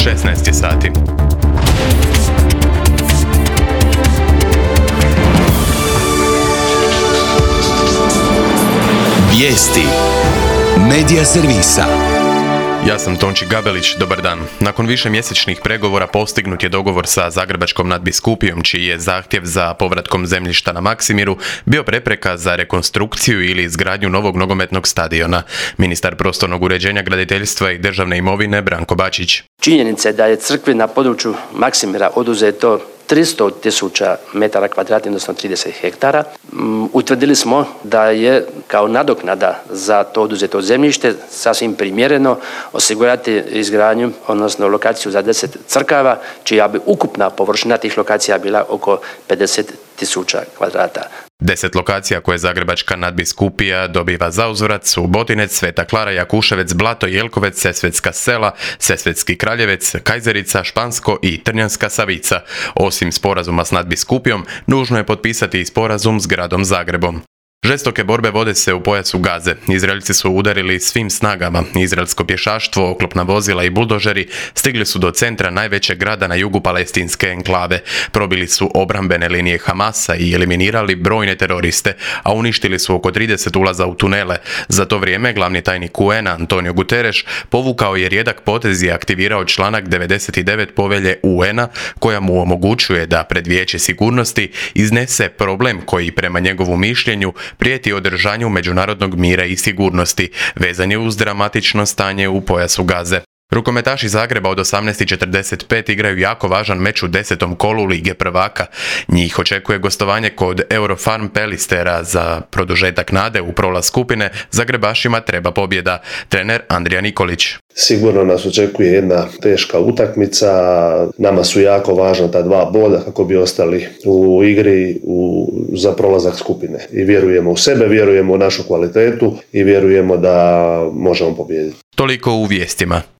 16 je sati. Vijesti Medija servisa. Ja sam Tonči Gabelić, dobar dan. Nakon višemjesečnih pregovora postignut je dogovor sa Zagrebačkom nadbiskupijom, čiji je zahtjev za povratkom zemljišta na Maksimiru bio prepreka za rekonstrukciju ili izgradnju novog nogometnog stadiona. Ministar prostornog uređenja, graditeljstva i državne imovine Branko Bačić. Činjenica je da je crkvi na području Maksimira oduzeto 300.000 metara kvadratnih, odnosno 30 hektara. Utvrdili smo da je kao nadoknada za to oduzeto zemljište sasvim primjereno osigurati izgradnju, odnosno lokaciju za 10 crkava, čija bi ukupna površina tih lokacija bila oko 50.000 kvadrata. 10 lokacija koje Zagrebačka nadbiskupija dobiva za uzvrat su Botinec, Sveta Klara, Jakuševec, Blato, Jelkovec, Sesvetska Sela, Sesvetski Kraljevec, Kajzerica, Špansko i Trnjanska Savica. Osim sporazuma s nadbiskupijom, nužno je potpisati i sporazum s gradom Zagrebom. Žestoke borbe vode se u pojasu Gaze. Izraelci su udarili svim snagama. Izraelsko pješaštvo, oklopna vozila i buldožeri stigli su do centra najvećeg grada na jugu palestinske enklave. Probili su obrambene linije Hamasa i eliminirali brojne teroriste, a uništili su oko 30 ulaza u tunele. Za to vrijeme glavni tajnik UN-a Antonio Guterres povukao je rijedak potez i aktivirao članak 99 povelje UN-a koja mu omogućuje da pred Vijeće sigurnosti iznese problem koji prema njegovu mišljenju prijeti održanju međunarodnog mira i sigurnosti, vezan je uz dramatično stanje u pojasu Gaze. Rukometaši Zagreba od 18:45 igraju jako važan meč u 10. kolu Lige prvaka. Njih očekuje gostovanje kod Eurofarm Pelistera. Za produžetak nade u prolaz skupine Zagrebašima treba pobjeda. Trener Andrija Nikolić. Sigurno nas očekuje jedna teška utakmica. Nama su jako važna ta 2 boda kako bi ostali u igri za prolazak skupine. I vjerujemo u sebe, vjerujemo u našu kvalitetu i vjerujemo da možemo pobijediti. Toliko u vijestima.